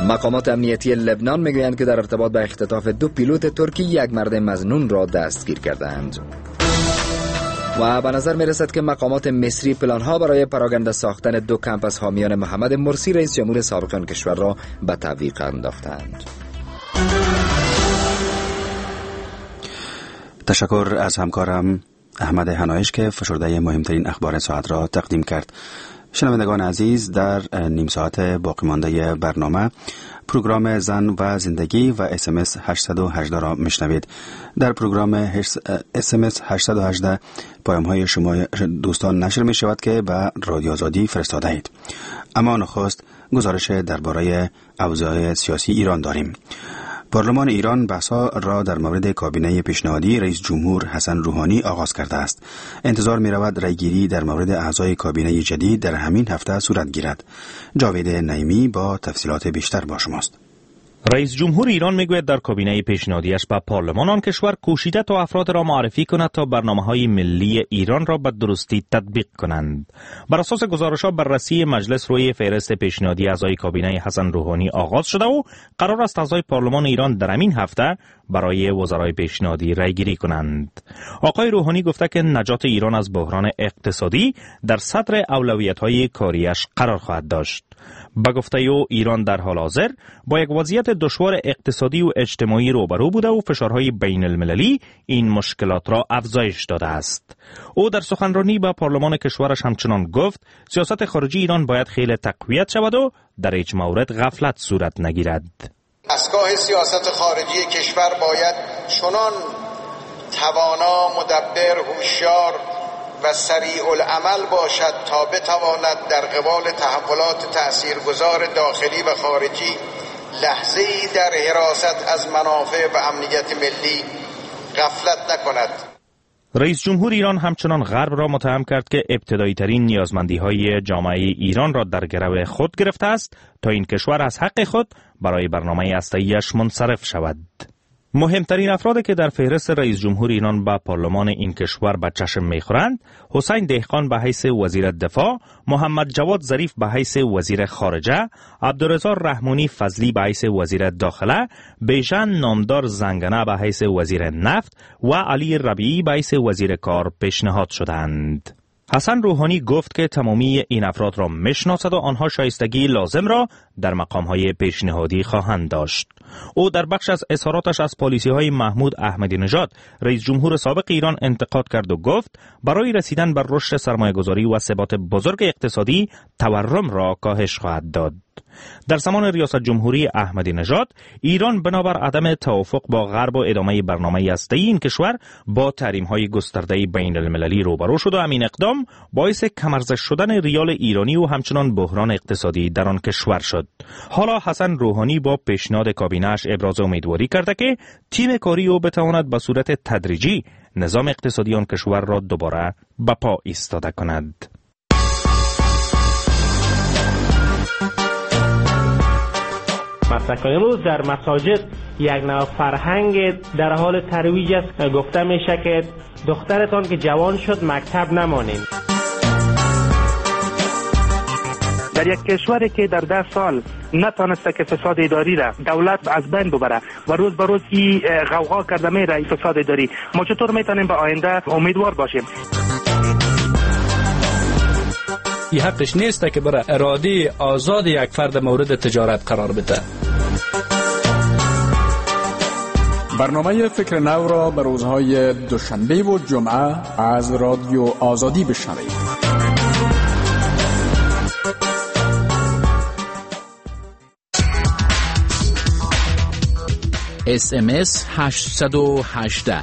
مقامات امنیتی لبنان میگویند که در ارتباط به اختطاف 2 پیلوت ترکی یک مرد مظنون را دستگیر کردند. و به نظر میرسد که مقامات مصری پلانها برای پراگنده ساختن 2 کمپ از حامیان محمد مرسی رئیس جمهور سابق آن کشور را به تعویق انداختند. تشکر از همکارم احمد هنایش که فشرده مهمترین اخبار ساعت را تقدیم کرد. شنوندگان عزیز، در نیم ساعت باقی مانده برنامه پروگرام زن و زندگی و SMS 818 را میشنوید. در پروگرام SMS 818 پیام های شما دوستان نشر می شود که به رادیو آزادی فرستاده اید. اما نخست گزارش درباره اوضاع سیاسی ایران داریم. پارلمان ایران بحث‌ها را در مورد کابینه پیشنهادی رئیس جمهور حسن روحانی آغاز کرده است. انتظار می‌رود رأی‌گیری در مورد اعضای کابینه جدید در همین هفته صورت گیرد. جاوید نعیمی با تفصیلات بیشتر با شماست. رئیس جمهور ایران میگوید در کابینه پیشنهادیش به پارلمان آن کشور کوشیده تا افراد را معرفی کند تا برنامه‌های ملی ایران را به درستی تطبیق کنند. بر اساس گزارش‌ها بررسی مجلس روی فهرست پیشنهادی اعضای کابینه حسن روحانی آغاز شده و قرار است اعضای پارلمان ایران در همین هفته برای وزرای پیشنهادی رأی‌گیری کنند. آقای روحانی گفته که نجات ایران از بحران اقتصادی در صدر اولویت‌های کاریش قرار خواهد داشت. به گفته او ایران در حال حاضر با یک وضعیت دشوار اقتصادی و اجتماعی روبرو بوده و فشارهای بین المللی این مشکلات را افزایش داده است. او در سخنرانی به پارلمان کشورش همچنان گفت سیاست خارجی ایران باید خیلی تقویت شود و در هیچ مورد غفلت صورت نگیرد. دستگاه سیاست خارجی کشور باید چنان توانا، مدبر، هوشیار و سریع العمل باشد تا بتواند در قبال تحولات تأثیرگذار داخلی و خارجی لحظه‌ای در حراست از منافع و امنیت ملی غفلت نکند. رئیس جمهور ایران همچنان غرب را متهم کرد که ابتدایی ترین نیازمندی های جامعه ایران را در گرو خود گرفته است تا این کشور از حق خود برای برنامه هسته‌ایش منصرف شود. مهمترین افرادی که در فهرست رئیس جمهور ایران به پارلمان این کشور به چشم میخورند، حسین دهقان به حیث وزیر دفاع، محمد جواد ظریف به حیث وزیر خارجه، عبدالرضا رحمانی فضلی به حیث وزیر داخله، بیژن نامدار زنگنه به حیث وزیر نفت و علی ربیعی به حیث وزیر کار پیشنهاد شدند. حسن روحانی گفت که تمامی این افراد را میشناسد و آنها شایستگی لازم را در مقام‌های پیشنهادی خواهند داشت. او در بخش از اظهاراتش از پالیسی‌های محمود احمدی نژاد رئیس جمهور سابق ایران انتقاد کرد و گفت برای رسیدن بر رشد سرمایه‌گذاری و ثبات بزرگ اقتصادی تورم را کاهش خواهد داد. در زمان ریاست جمهوری احمدی نژاد ایران بنابر عدم توافق با غرب و ادامه برنامه هسته‌ای این کشور با تحریم‌های گسترده بین المللی روبرو شد و همین اقدام باعث کم‌ارزش شدن ریال ایرانی و همچنان بحران اقتصادی در آن کشور شد. حالا حسن روحانی با پیشنهاد کابینه‌اش ابراز امیدواری کرده که تیم کاری او بتواند به صورت تدریجی نظام اقتصادی آن کشور را دوباره به پا ایستاده کند. مثلا امروز در مساجد یک نوع فرهنگ در حال ترویج است. گفته میشه که دخترتان که جوان شد مکتب نمانید. در یک کشوری که در 10 سال نتانسته که فساد اداری را دولت از بین ببره و روز به روز این غوغا کرده میره فساد اداری، ما چطور میتونیم به آینده امیدوار باشیم؟ این حقش نیست که برای اراده آزاد یک فرد مورد تجارت قرار بده. برنامه فکر نو را به روزهای دوشنبه و جمعه از رادیو آزادی بشنوید. SMS 818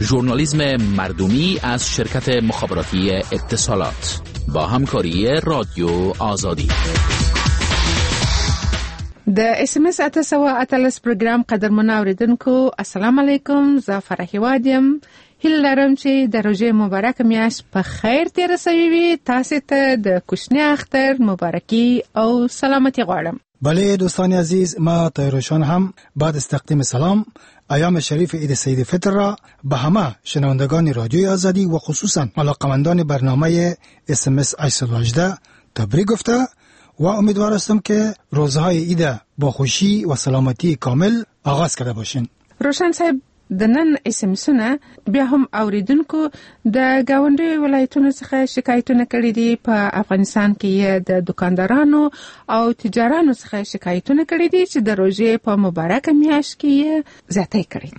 ژورنالیسم مردمی از شرکت مخابراتی اتصالات با همکاری رادیو آزادی. د اس ام اس 818 پروګرام قدرمن اوریدونکو، السلام علیکم. زه فرح هیواد یم. هیله لرم چې د روژې مبارک میاشت په خیر تېره شوې وي. تاسو ته د کوچني اختر مبارکي او سلامتی غواړم. بله دوستان عزیز، ما طاهرشان هم بعد از تقدیم سلام ایام شریف عید سعید فطر را به همه شنوندگان رادیوی آزادی و خصوصا علاقمندان برنامه اس ام اس 818 تبریک گفته و امیدوار هستم که روزهای عید با خوشی و سلامتی کامل آغاز کرده باشین. روشن صاحب، د نن اس ام اسونه بیا هم اوریدونکو د ګاونډیو ولایتونو څخه شکایتونه کړي دي. په افغانستان کې یې د دکاندارانو او تجارانو څخه شکایتونه کړي دي چې د روژې په مبارکه میاشت کې یې زیاتی کړی،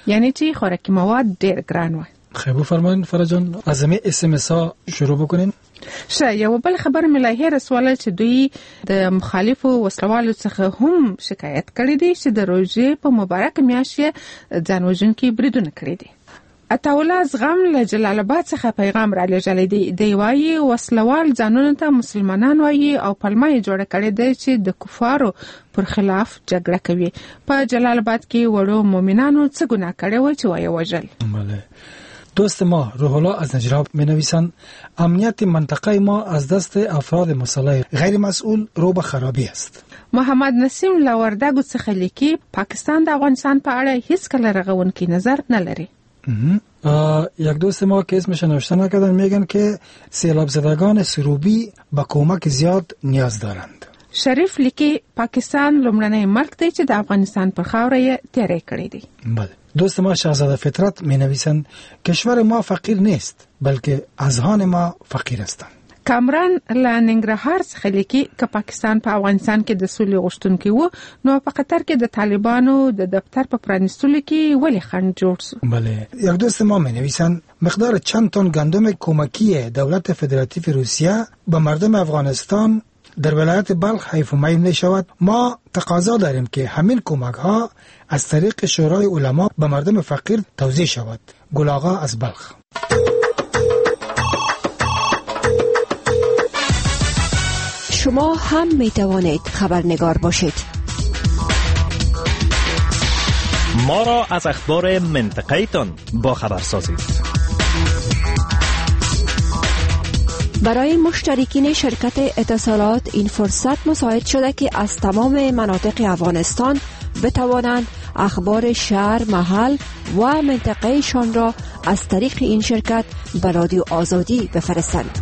یعنی چې خوراکي مواد ډیر ګران وه. خیر بفرمایین فرح جان، از همه اس ام اس ها شروع بکنین. ښه، یوه بل خبر مې لا هېره سوله چې دوی د مخالفو وسلوالو څخه هم شکایت کړی دی چې د روژې په مبارکه میاشت یې ځان وژونکي بریدونه کړي دي. عطاالله زغم له جلال آباد څخه پیغام را لېږلی دی. دی وایي وسلوال ځانونو ته مسلمانان وایي او پلمه یې جوړه کړې ده چې د کفارو پر خلاف جګړه کوي. په جلال آباد کې وړو مؤمنانو څه ګناه کړې وه چې ویې وژل؟ بله. دوست ما روح الله از نجراب می نویسند امنیت منطقه ما از دست افراد مسلح غیر مسئول رو به خرابی است. محمد نسیم له وردګو څخه لیکي پاکستان د افغانستان په اړه هیڅ کله رغونکی نظر نه لري. یک دوست ما که اسمش نوشته نکردن میگن که سیلاب زدگان سروبی به کمک زیاد نیاز دارند. شریف لیکي پاکستان لومړنی ملک دی چې د افغانستان پر خاوره یې تیری کړی دی. بله. دوست ما شاهزاده فطرت می نویسند کشور ما فقیر نیست بلکه اذهان ما فقیر هستند. کامران له ننګرهار څخه لیکي که پاکستان په افغانستان کې د سولې غوښتونکی و نو په قطر کې د طالبانو د دفتر په پرانیستلو کې ولې خنډ جوړ شو؟ بله. یک دوست ما می نویسند مقدار چند تن گندم کمکی دولت فدراتیو روسیه به مردم افغانستان در ولایت بلخ حیف و میل می شود. ما تقاضا داریم که همین کمک ها از طریق شورای علما به مردم فقیر توزیع شود. گل آقا از بلخ. شما هم می توانید خبرنگار باشید. ما را از اخبار منطقه تان با خبر سازید. برای مشترکین شرکت اتصالات این فرصت مساعد شده که از تمام مناطق افغانستان بتوانند اخبار شهر، محل و منطقهشان را از طریق این شرکت به رادیو آزادی بفرستند.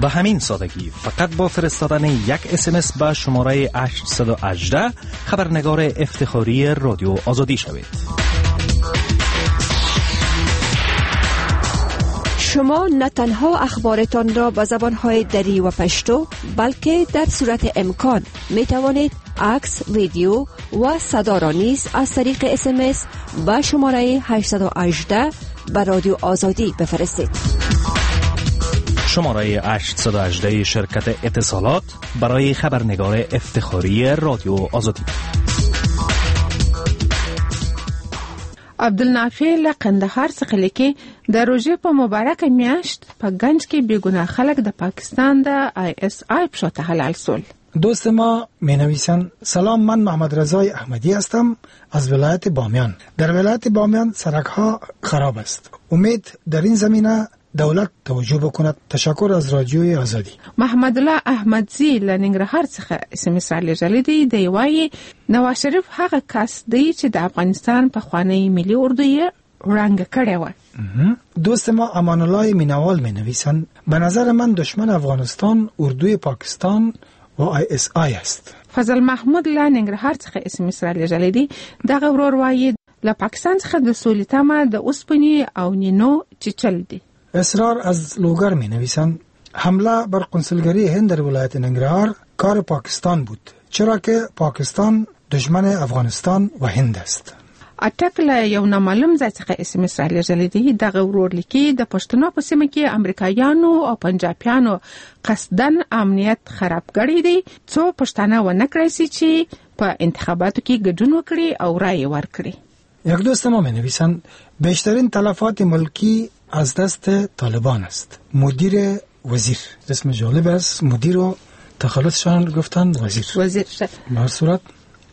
به همین سادگی فقط با فرستادن یک اس ام اس به شماره 818 خبرنگار افتخاری رادیو آزادی شوید. شما نه تنها اخبارتان را به زبانهای دری و پشتو بلکه در صورت امکان می توانید عکس، ویدیو و صدا را نیز از طریق اس ام اس به شماره 818 به رادیو آزادی بفرستید. شماره 818 شرکت اتصالات برای خبرنگار افتخاری رادیو آزادی. عبدالنافع له قندهار څخه لیکي د روژې په مبارکه میاشت په ګنج کې بېګناه خلک د پاکستان د آی اس آی پښو ته حلال سول. دوست ما می نویسند سلام، من محمد رضای احمدی هستم از ولایت بامیان. در ولایت بامیان سرک ها خراب است. امید در این زمینه دولت توجه بکند. تشکر از رادیوی آزادی. محمد الله احمدزی له ننګرهار څخه اس ام اس رالیږلی دی. دی وایي نواز شریف هغه کس دی چې د افغانستان پخوانۍ ملي اردو یې ړنګه کړې وه. دوست ما امان الله مینوال می نویسند به نظر من دشمن افغانستان اردوی پاکستان و آی اس آی است. فضل محمود له ننګرهار څخه اس ام اس رالیږلی دی. دغه ورور وایي له پاکستان څخه د سولې تمه د اوسپنې او نینو چیچل دي. اصرار از لوگر می نویسند حمله بر کنسولگری هند در ولایت ننگرهار کار پاکستان بود، چرا که پاکستان دشمن افغانستان و هند است. اټک له یو نامعلوم ځای څخه اس ام اس رالیږلی دی. دغه ورور لیکي د پښتنو په سیمه کې امریکایانو او پنجابیانو قصداً امنیت خراب کړی دی څو پښتانه ونه کړای شي چې په انتخاباتو کې ګډون وکړي او رایې ورکړي. یک دوست ما می نویسند بیشترین تلفات ملکی از دست طالبان است. مدیر وزیر، اسم جالب است، مدیر و تخلصشان گفتن وزیر. وزیر به هر صورت.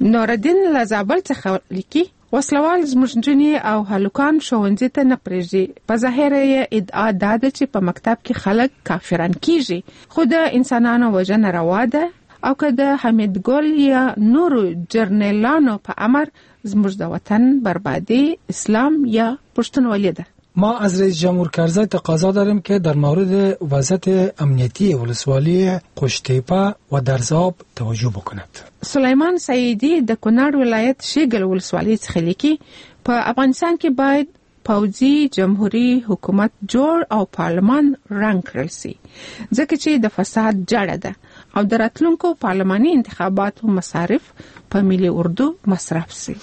نوردین له زابل څخه لیکي وسلوال زموږ نجونې او هلکان ښوونځي ته نه پرېږدي. په ظاهره یې ادعا دا ده چې په مکتب کې خلک کافران کیږي، خو د انسانانو وژنه روا ده او که د حمید ګل یا نورو جرنیلانو په امر زموږ د وطن بربادي اسلام یا پښتونولي ده. ما از رئیس جمهور کرزی تقاضا داریم که در مورد وضعیت امنیتی ولسوالی قوشتیپه و درزاب توجه بکند. سلیمان سعیدی د کونړ ولایت شیګل ولسوالۍ څخه لیکي، په افغانستان کې باید پوځي جمهوري حکومت جوړ او پارلمان رنګ کړل شي، ځکه چې د فساد جړه ده او د راتلونکو پارلماني انتخاباتو مصارف په ملي اردو مصرف شي.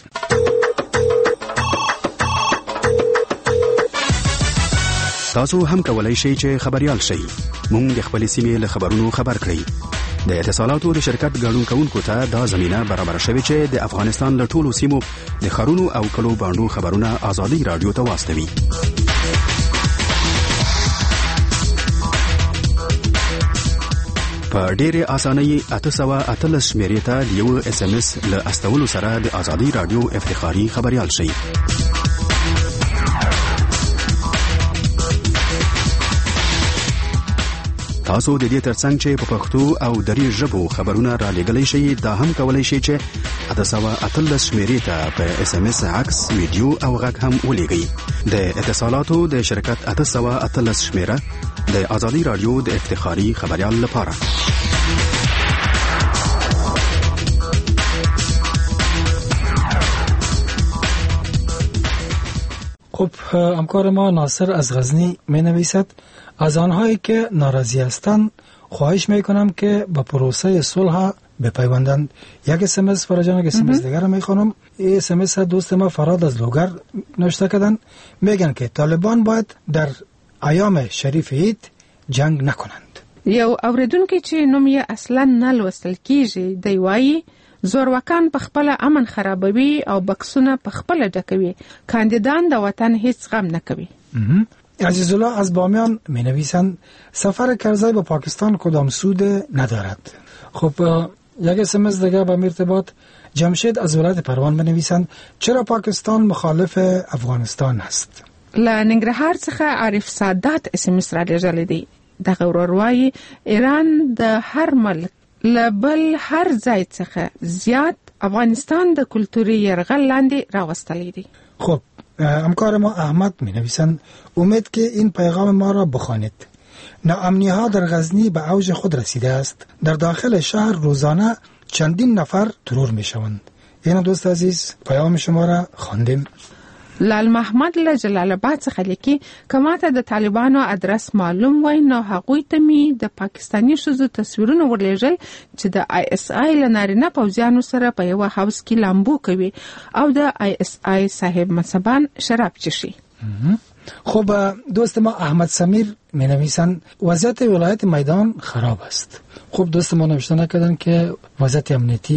تاسو هم کولای شئ چې خبريال شئ. موږ د خپلې سیمې له خبرونو خبر کړئ. د اتصالاتو د شرکت ګډون کوونکو ته دا زمينه برابره شوې چې د افغانستان له ټولو سیمو د ښارونو او کلو بانډو خبرونه ازادي راډیو ته واستوي. په ډېرې اسانۍ 818 شمېرې ته د یو اس ام اس له استولو سره د ازادي راډیو افتخاري خبریال شئ. تاسو د دې ترڅنګ چې په پښتو او دري ژبو خبرونه را لېږلی شئ، دا هم کولی شئ چې 818 شمېرې ته په اس ام اس عکس، ویډیو او غږ هم ولېږئ. د اتصالاتو د شرکت 818 شمېره د ازادي راډیو د افتخاري خبریال لپاره. خب همکار ما ناصر از غزنی می نویسد، از آنهایی که ناراضی هستند خواهش می کنم که به پروسه صلح بپیوندند. یک اس ام اس فرجان، یک اس ام اس دیگر می خوانم. این اس ام اس دوست ما فراد از لوگر نوشته کردن، میگن که طالبان باید در ایام شریف عید جنگ نکنند. یو اوریدونکی چې نوم یې اصلا نه لوستل کیږي دی وایي، زورواکان په خپله امن خرابوي او بکسونه په خپله ډکوي، کاندیدان د وطن هیڅ غم نه کوي. عزیزالله از بامیان می نویسند، سفر کرزی به پاکستان کدام سود ندارد. خب یک اس ام اس دیگه به ارتباط جمشید از ولایت پروان می نویسند، چرا پاکستان مخالف افغانستان است؟ له ننګرهار څخه عارف سادات اس ام اس را لېږلی دی. دغه ورور وایي، ایران د هر ملک له بل هر ځای څخه زیات افغانستان د کلتوري یرغل لاندې راوستلی دی. خب همکار ما احمد می نویسند، امید که این پیغام ما را بخوانید. ناامنی ها در غزنی به اوج خود رسیده است. در داخل شهر روزانه چندین نفر ترور می شوند. این دوست عزیز پیام شما را خواندیم. لال محمد له جلال آباد څخه لیکي، که ماته د طالبانو ادرس معلوم وای نو هغوی ته مې د پاکستاني ښځو تصویرونه ورلېږل چې د آی اس آی له نارینه پوځیانو سره په یوه حوض کې لامبو کوي او د آی اس آی صاحب منصبان شراب څښي. خب دوست ما احمد سمیر می نویسند، وضعیت ولایت میدان خراب است. خب دوست ما نوشته نکردن که وضعیت امنیتی